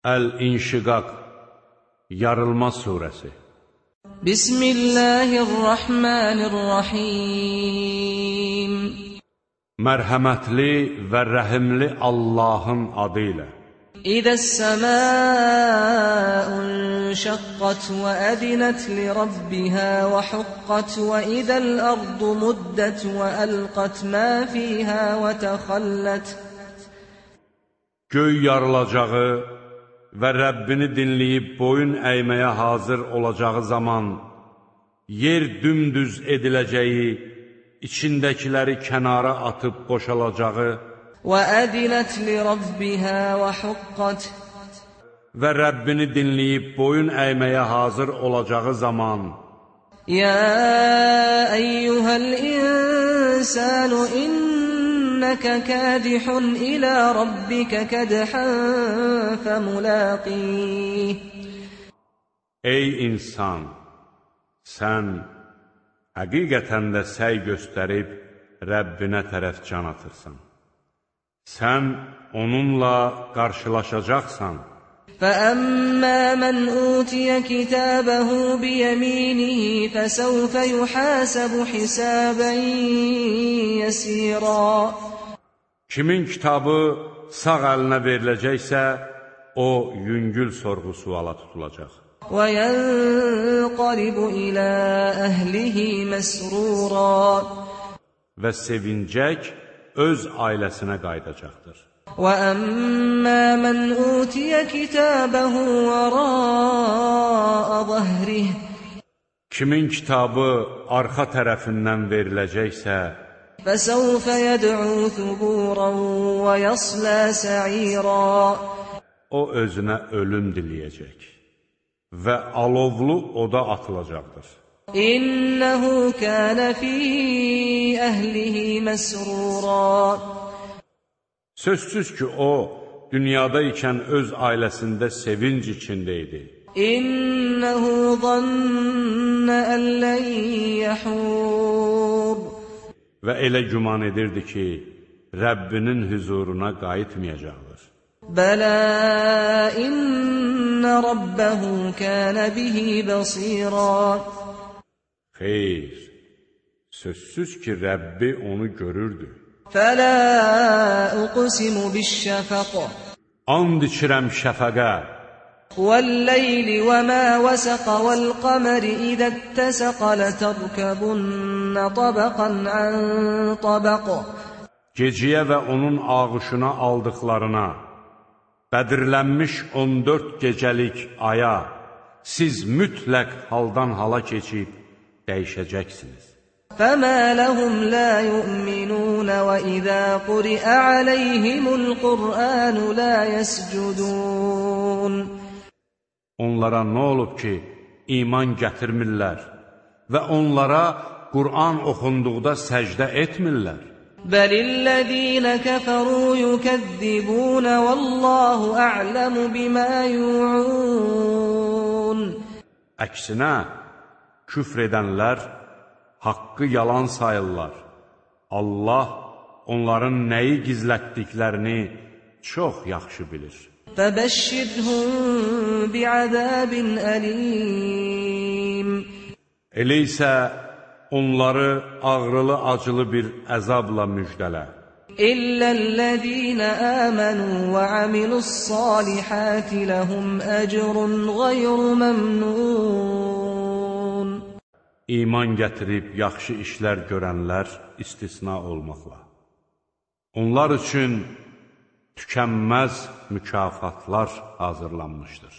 Əl-İnşiqaq, Yarılma surəsi. Bismillahirrahmanirrahim. Mərhəmətli və rəhimli Allahın adı ilə. İzəs-səmâun şəqqət və ədinət li Rabbihə və huqqət və izəl-ərdu muddət və əlqət mə fiyhə və təxəllət. Göy yarılacağı və Rəbbini dinləyib boyun əyməyə hazır olacağı zaman, yer dümdüz ediləcəyi, içindəkiləri kənara atıb boşalacağı və ədinət li Rabbihə və huqqət və Rəbbini dinləyib boyun əyməyə hazır olacağı zaman, Yə əyyuhəl insanu İnnəkə kədihun ilə Rabbikə kədhən fəmüləqih. Ey insan, sən həqiqətən də səy göstərib Rəbbinə tərəf can atırsan. Sən onunla qarşılaşacaqsan. فَأَمَّا مَنْ أُوتِيَ كِتَابَهُ بِيَمِينِهِ فَسَوْفَ يُحَاسَبُ حِسَابًا يَسِيرًا. Kimin kitabı sağ əlinə veriləcəksə, o yüngül sorğu-suala tutulacaq. وَيَنْقَلِبُ إِلَى أَهْلِهِ مَسْرُورًا. Və sevincək öz ailəsinə qayıdacaqdır. وَأَمَّا مَنْ أُوتِيَ كِتَابَهُ وَرَاءَ ظَهْرِهِ. Kimin kitabı arxa tərəfindən veriləcəksə, فَسَوْفَ يَدْعُو ثُبُورًا وَيَصْلَى سَعِيرًا. O özünə ölüm diləyəcək və alovlu oda atılacaqdır. İnnehu kana fi ahlihi masrura. Sözsüz ki, o, dünyada ikən öz ailəsində sevinc içində idi. İnnehu zanna an lan yahur. Və elə güman edirdi ki, Rəbbinin huzuruna qayıtmayacaqdır. Bələ inna rabbahu kana bihi basira. Xeyr, sözsüz ki, Rəbbi onu görürdü. Fələ uqsimu biş-şəfaq. And içirəm şəfəqə. Vəl-leyli və mə vəsəq vəl-qəməri izə ittəsəq lətərkəbunnə tabaqan an tabaq. Geciyə və onun ağışına aldıqlarına, bədirlənmiş 14 gecəlik aya siz mütləq haldan hala keçib dəyişəcəksiniz. فَمَا لَهُمْ لَا يُؤْمِنُونَ وَإِذَا قُرِئَ عَلَيْهِمُ الْقُرْآنُ لَا يَسْجُدُونَ. Onlara nə olub ki, iman gətirmirlər və onlara Qur'an oxunduqda səcdə etmirlər? بَلِ الَّذِينَ كَفَرُوا يُكَذِّبُونَ وَاللَّهُ أَعْلَمُ بِمَا يُوعُونَ. Əksinə, küfr edənlər haqqı yalan sayırlar. Allah onların nəyi gizlətdiklərini çox yaxşı bilir. فَبَشِّرْهُمْ بِعَذَابٍ أَلِيمٍ. Elə isə onları ağrılı-acılı bir əzabla müjdələ. إِلَّا الَّذِينَ آمَنُوا وَعَمِلُوا الصَّالِحَاتِ لَهُمْ أَجْرٌ غَيْرُ مَمْنُونَ. İman gətirib yaxşı işlər görənlər istisna olmaqla. Onlar üçün tükənməz mükafatlar hazırlanmışdır.